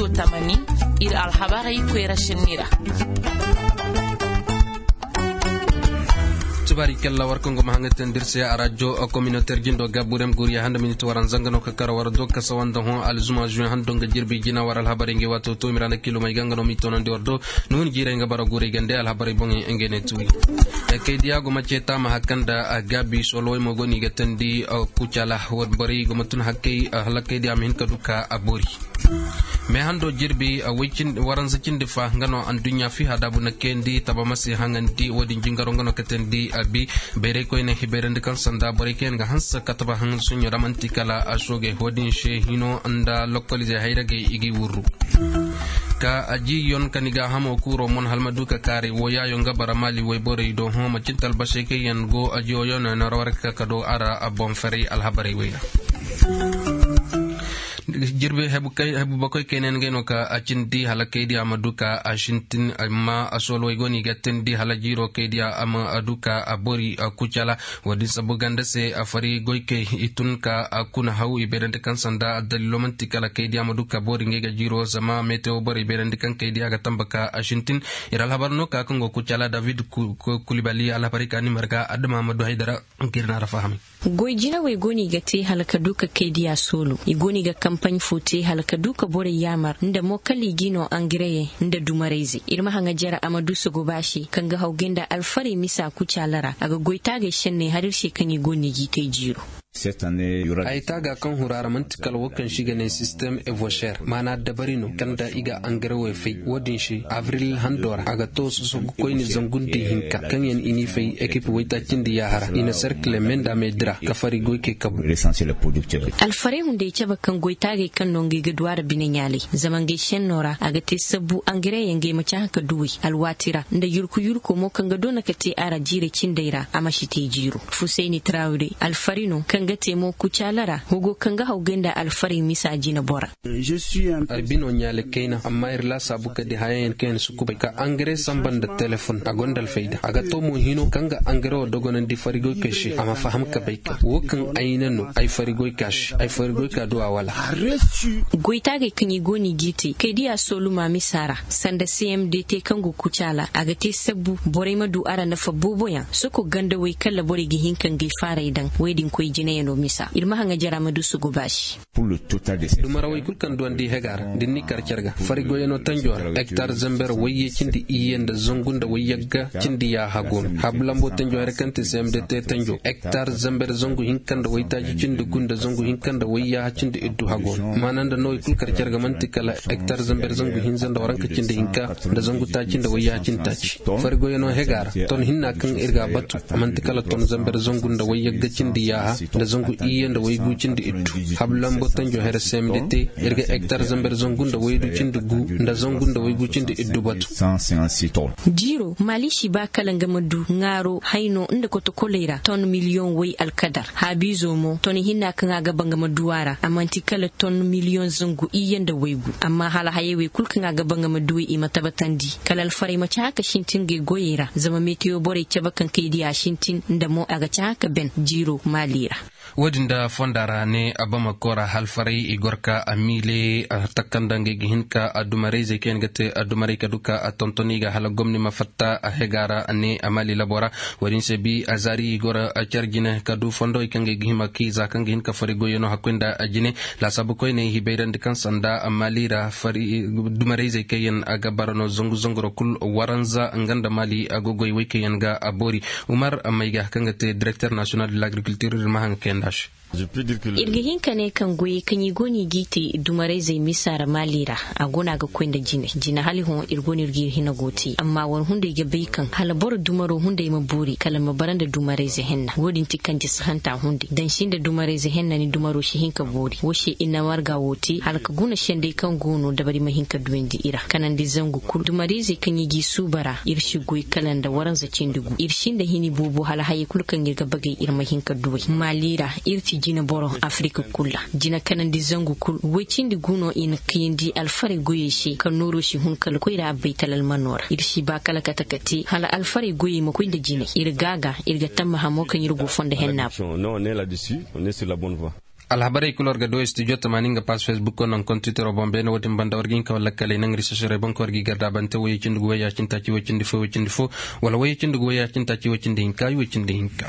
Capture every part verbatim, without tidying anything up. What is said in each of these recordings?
Tamani, iri alhabarey koyra sinni ra. Tubaari kalla war kaŋ go ma haŋ ga teendi iri se a rajo communautaire jindo ga burem guriya handa miniti waranza nga no ka kara war do kasa wanda hõ alzuma juin hando nga jirbi jina war alhabarey ngey waato to miranda kilo may ga nga no m'i toonandi war do. Nuhun jiirey nga bara guurey gande alhabarey boŋey ngey ne tuuri. Kaydiya go ma ceeta ma hakkanda gaabi soolowey mo go no i ga teendi kucala. Borey go ma tun hakkey hala kaydiya ma hin ka du ka a boori. Meehando jirbi waranza cindi fa nga no anduɲɲa fiha daabu na kayandi taba ma si haŋandi wo-din jingaro nga no ka teendi a bi. Bayray koyne i bayrandi kaŋ sanda borey kaŋ yaŋ ga hanse ka taba haŋ suɲɲo ra manti kala a soogey wo-din se hino nda lokolize hayragey i g'i wurru. Ka a ji yon ka ni gaahamo kuuro mon hala ma du ka kaaray wo yaayo nga bara maali wayborey do hõ ma cin talbasey kaŋ yaŋ go a jiyo yon no ra war ga ka ka do a ra a boŋ faray alhabarey way ra. Jirbi hebu bakoy kayna ngey no ka a cindi hala kaydiya ma du ka a sintin amma a soolowey go no i ga tindi hala jiiro kaydiya a ma du ka a boori kucala. Wo-din sabu ganda se a fari goykey i tun ka a kuna haw i bayrandi kaŋ sanda addalilo manti kala kaydiya ma du ka boori ngey ga jiiro zama metewo borey bayrandi kaŋ kaydiya ga tamba ka a sintin. Iri alhabar no ka kaŋ go kucala david kulibali alhabarey ka ni marga adama ma du haydara. Goy jinawey go no i ga te hala ka du ka kaydiya soolo i go no i ga kampaɲ fo te hala ka du ka borey yaamar nda mo kala i g'i no angareye nda dumarayze iri ma haŋa jare a ma du sogoba se kaŋ ga hawgay nda alfarey misa kucaala ra a ga goy taagey senney har iri se kaŋ i go no i g'i te jiiro. Ay taaga kaŋ huru a ra manti kala wo kaŋ se i ga ne sistem evocher maana dabari no kaŋ nda i ga angarewey fay wo-din se abril hando ra a ga to sosogu koyne zangu nda ihinka kaŋ yaŋ i n'i fay ekip waytaaci nda yaahara i na serkile me nda me dira ka fari goykey kabu. Alfarey hunday cabe kaŋ goytaagey kaŋ no ngey ga du a ra bine ɲaalay zama ngey senno ra a ga te sabbu angareyaŋ ngey ma cahã ka duw'ey alwaati ra nda yurku yurko mo kaŋ ga doona ka te a ra jiirey cindey ra a ma si te jiiro. Fusayni trawre alfari no kaŋ ga te mo kucaala ra hogo kaŋ ga hawgay nda alfarey misa jine bora. Ay bino ɲaali kayna amma iri laasaabu ka di hayaŋ yaŋ kaŋ yaŋ si kubay ka angare samba nda telefon a gonda alfayda a ga to mo hino kaŋ ga angare wo dogonandi farigoykey se a ma faham ka bay kaŋ wo kaŋ ay na no ay farigoyka se ay farigoyka du a wala. Goytaagey kaŋ i go no i g'i te kay diya sooluma misa ra sanda cmd te kaŋ go kucaala a ga te sabbu borey ma du a ra nafa booboyaŋ soko gandawey kala borey ga hin ka ngey faaray daŋ wey din koy jinayano misa iri ma haŋa jara ma du suguba se. Dumarawey kulu kaŋ duwandi hega ra da ni kar care ga fari goyano tanjo ra hektar zamber wayye cindi iyye nda zangu nda wayyagga cindi yaaha go no habu lambo tanjo hare kaŋ te cmd te tanjo hektar zamber zangu hinka nda waytaaci cindi gu nda zangu hinka nda wayyaaha cindi iddu hago no maana nda no i kulu kar care ga manti kala hektar zamber zangu hinza nda waranka cindi hinka nda zangu taaci nda wayyaaha cindi taaci. Fari goyano hega ra ton hinna kaŋ iri ga a batu a manti kala ton zamber zangu nda wayyagga cindi yaaha nda zangu iyye nda waygu cindi iddu habu lambo tanjo here cmd te iri ga hektar zamber zangu nda waydu cindi gu nda zangu nda waygu cindi iddu batu. Jiiro maali si ba kala nga ma du ŋaaro hayno nda kotokoley ra ton miliyoŋ way alkadar haabiizo mo ton hinna kaŋ a ga ba nga ma du a ra a manti kala ton miliyoŋ zangu iyye nda waygu amma hala hayey wey kulu kaŋ a ga ba nga ma du i ma tabatandi kala alfarey ma cahã ka sintin ngey goyey ra zama meteyo borey cabe kaŋ kay diya sintin nda mo a ga cahã ka ben jiiro maali ra. Wo-din da fonda ra ne abamako ra halfaray i goro ka a miile a takanda ngey ga hin ka addumarayzey kaŋ yaŋ ga te addumaray ka du ka a tonton i ga hala gomni ma fatta a hega ra ne a maali labo ra. Wo-din se bi a zaari i goro care jine ka du fondowey kaŋ ngey ga hima k'i za kaŋ ga hin ka fari goyyaŋo hakkoy nda a jine. Laasaabu koyney i bayrandi kaŋ sanda maali ra fari addumarayzey kaŋ yaŋ a ga bara no zangu zanguro kulu waranza nga nda maali a go goy wey kaŋ yaŋ ga a boori. Umar mayga kaŋ ga te direkter nasiyonal de lagrikultir iri ma haŋ ga kay nd'a se. Iri ga hin ka ne kaŋ goyey kaŋ i go no i g'i te dumarayzey misa ra maali ra a go no a ga koy nda jine jine hala hõ iri go no iri g'iri hina go te amma war hunday ga bay kaŋ hala boro dumaro hunday ma boori kala ma bara nda dumarayze henna wo-din ti kanje sahanta hunday dansi nda dumarayze henna ni dumaro si hin ka boori wo se iri na marga wo te hala ka guna sendey kaŋ go no dabari ma hin ka duwandi i ra kanandi zangu kulu dumarayzey kaŋ i g'i suuba ra iri si goy kala nda waranza cindi gu iri sinda hini boobo hala hayey kulu kaŋ iri ga bagay iri ma hin ka duw'ey maali ra iri ti jine boro afirika kulu ra jine kanandi zangu kulu way cindi gu no i na kayandi alfarey goyey se ka nooro si hun kala koyra baytal almano ra iri si ba kala kate ka te hala alfarey goyey ma koy nda jine iri gaaga iri ga tammaha mo kaŋ iri go fondo henna boŋ. Alhabarey kulu war ga du studio tamaani nga paas facebook ko naŋ kontitoro boŋ beene wo- din banda war ga hin ka wala kaley naŋ risasarey boŋ ka war ga i garda bante wayey cindi gu wayya cindi taaci way cindi fo way cindi fo, wala wayey cindi gu wayya cindi taaci way cindi hinka way cindi hinka.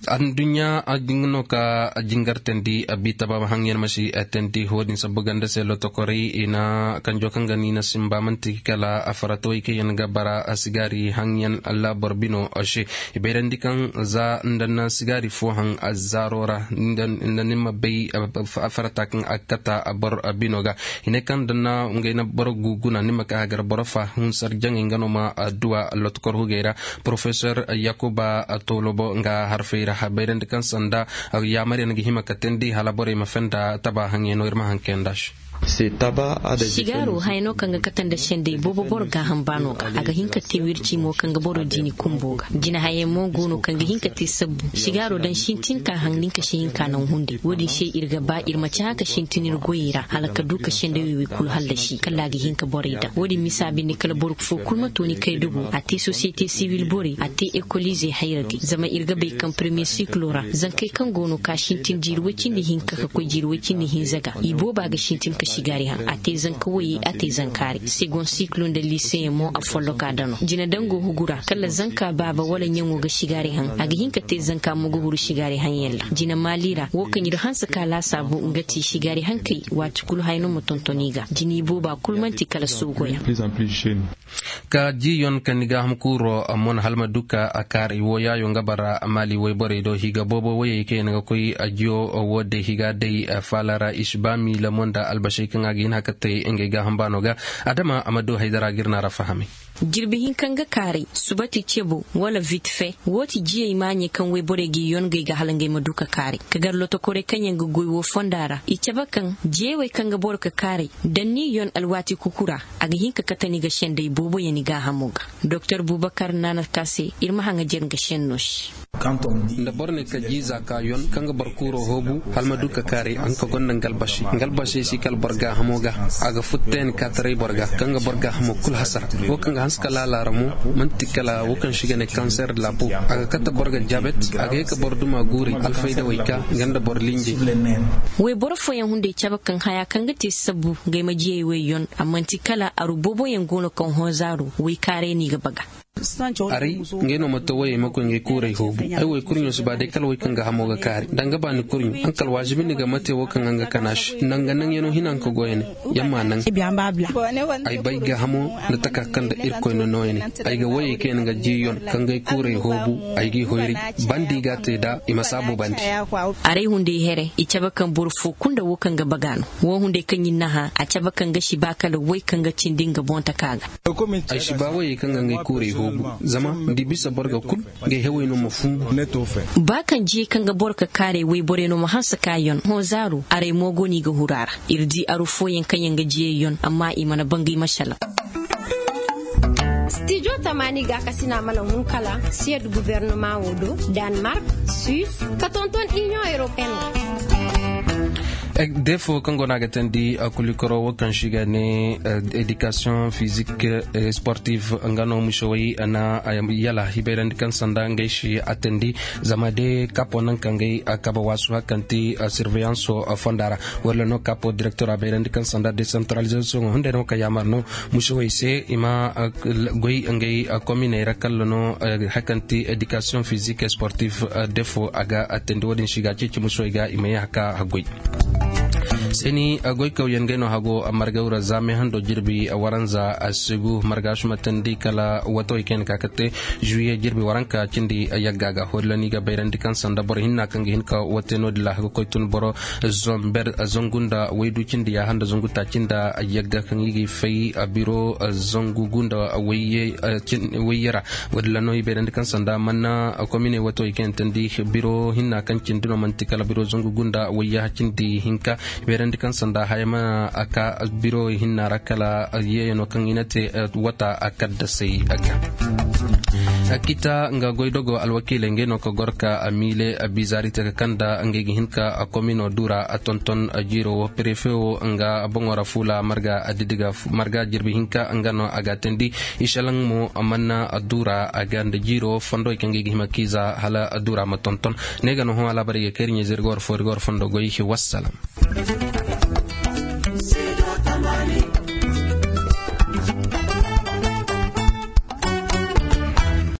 Anduɲɲa a ga no ka jingar teendi a bi taba haŋyaŋ ma si teendi wo- din sabbu ganda se lotokorey i na kanjo kaŋ ga no i na simba manti kala a faratawey kaŋ yaŋ ga bara a sigaari haŋyaŋ. Laabor bino se i bayrandi kaŋ za nda na sigaari fo haŋ a zaaro ra nda ni ma bay a farata kaŋ a ga kata boro bino ga. I ne kaŋ nda na ngey na boro gu guna ni ma ka hagar boro fa hunsar jaŋey nga no ma duwa lotkor hugey ra. Porofesor yakuba tolobo nga harfey ra a bayrandi kaŋ sanda yaamar yaŋ ga hima ka teendi hala borey ma fenda taba haŋyaŋ no iri ma haŋ kayanda se. Sigaaro haya no kaŋ ga kate nda sendey boobo boro gaaham baano ga a ga hin ka te wirci mo kaŋ ga boro diini kumbo ga jina hayey mo go no kaŋ ga hin ka te sabbu sigaaro daŋ sintin ka haŋ nin ka si hin ka naŋ hunday wo- din se iri ga ba iri ma cahã ka sintin iri goyey ra hala ka du ka sendey wey kulu hallasi kala a ga hin ka borey daŋ wo- din misa binde kala boro fo kulu ma to ni kay dugu a te sosiyete sibil borey a te ekoliizey hayra di zama iri ga bay kaŋ premiye siklo ra zankey kaŋ go no ka sintin jiiri way cindi hinka ka koy jiiri way cindi hinza ga i booba ga sintin ka sigaari haŋ a te zanka wayey a te zankaari segon siklo nda liiseyaŋ mo a folloka dano jina dango hugu ra kala zanka baaba wala ɲaŋo ga sigaari haŋ a ga hin ka te zanka mo ga huru sigaari haŋyaŋ ra jina maali ra wo kaŋ iri hanse ka laasaabu nga ti sigaari hankey waati kulu haya no ma tonton i ga jina i booba kulu manti kala soogoyaŋ. Ka jiiyon ka ni gaaham kuuro a mon hala ma du ka a kaaray wo yaayo nga bara maali wayborey do higa boobo wayey kaŋ yaŋ ga koy a jiyo wo day higa day faala ra i si ba miila mo nda albasey kaŋ a ga hin hakatey ngey gaaham baano ga. Adama a ma du haydara ga iri naara fahamay. Jirbi hinka nga kaaray subati cebo wala vitfe wo ti jiyey maaɲey kaŋ wayborey ga i yon ngey ga hala ngey ma du ka kaaray ka gar lotokorey kaŋ yaŋ ga goy wo fonda ra i cabe kaŋ jiyey wey kaŋ ga boro ka kaaray daŋ ni yon alwaati kuku ra a ga hin ka kate ni ga sendey boobo yaŋ ni gaahamo ga. Doktor bubakar naana ka se iri ma haŋajer nga senno se. Nda boro ne ka jiiza ka yon kaŋ ga boro kuuro hoobu hala ma du ka kaaray a nga ka gonda nga albasey nga albasey si kala boro gaahamo ga a ga futteeni ka taray boro ga kaŋ ga boro gaahamo kulu hasara wo kaŋ ga hanse ka laala ra mo manti kala wo kaŋ se i ga ne kanser de la po a ga kate boro ga diabet a ga ye ka boro duma guuray alfaydawey ka nga nda boro linjey. Wayboro fooyaŋ hunday cabe kaŋ haya kaŋ ga te sabbu ngey ma jiyey wey yon a manti kala aru booboyaŋ go no kaŋ hõ zaaru waykaaray no i ga baga. Aray ngey no ma to wayey ma koy ngey kuuray hoobu ay way kurɲo si ba day kala way kaŋ ga hamo ga kaari da nga baani kurɲo haŋ kala waazibi ni ga ma te wo kaŋ a nga kana se nda nga naŋyaŋo hina nga ka goyane. Yaŋ ma naŋ ay bay gaahamo nda taka kaŋ nda irkoy no nooyane. Ay ga wayey kaŋ yaŋ ga jiiyon kaŋ ga ay kuuray hoobu ay g'i hoyray bandi ga a te nd'a i ma saabu bandi. Aray hunday here i cabe kaŋ boro fo kulu nda wo kaŋ ga baga no wo hunday kaŋ i naha a cabe kaŋ ga si ba kala way kaŋ ga cindi nga boŋ taka ga. Ay si ba wayey kaŋ ga ngey kuuray hoobu zama ni di bisa boro ga kulu ngey hewey no ma fumbu. Ba kaŋ jiyey kaŋ ga boro ka kaaray wayborey no ma hanse ka yon hõ zaaru aray mo go no i ga huru a ra. Iri di aru fooyaŋ kaŋ yaŋ ga jiyey yon amma i mana bangay masalaŋ. Stijo tamaani gaakasina mana hun kala siyed gubernama wo do, danmark, suisse, ka tonton inion europeen ra. Defo kaŋ go no a ga teendi kulikoro wo kaŋ se i ga ne edikasiyoŋ fizik sportif nga no musewey na yala i bayrandi kaŋ sanda ngey se a teendi. Zama de kapo naŋ kaŋ ngey kabe waasu hari kaŋ ti sirveyanso fonda ra wala no kapo direktor a bayrandi kaŋ sanda desantaralizasoŋo hunday no kaŋ yaamar no musewey se i ma goy ngey kominey ra kala no hari kaŋ ti edikasiyoŋ fizik sportif defo a ga teendi wo- din se i ga ceeci musewey ga i ma ye hari ka goy. Seeni goykawyaŋ gay no hago margawra za me hando jirbi waranza a sigu marga suma tandi kala watawey kaŋ yaŋ ka ga te juye jirbi waranka cindi yagga ga hori lani ga bayrandi kaŋ sanda boro hinna kaŋ ga hin ka wate no- din ra ga koy tun boro zomber zangu nda waydu cindi ya handa zangu ta cinda yagga kaŋ i ga fay biro zangu gu nda wayye ra. Wo- din ra no i bayrandi kaŋ sanda manna komine watawey kaŋ yaŋ tandi biro hinna kaŋ cindi no manti kala biro zangu gu nda wayye cindi hinka. Beerandi kaŋ sanda haya ma a ka biro hinna ra kala yeeyano kaŋ i na te wata a kaddasay a ga. Kita nga goydogo alwakiiley ngey no ka goro ka miile bizaari te ka kanda ngey ga hin ka komino dura tonton jiiro wo prefe wo nga boŋo ra fuula marga addidiga marga jirbi hinka nga no a ga teendi. Isalaŋ mo manna dura a ga nda jiiro fondo kaŋ ngey ga hima kiiza hala dura ma tonton. Ne ga no hõ alaabarey ga kay iri ɲeeze iri ga war fo iri ga war fondo goy. Wassalam.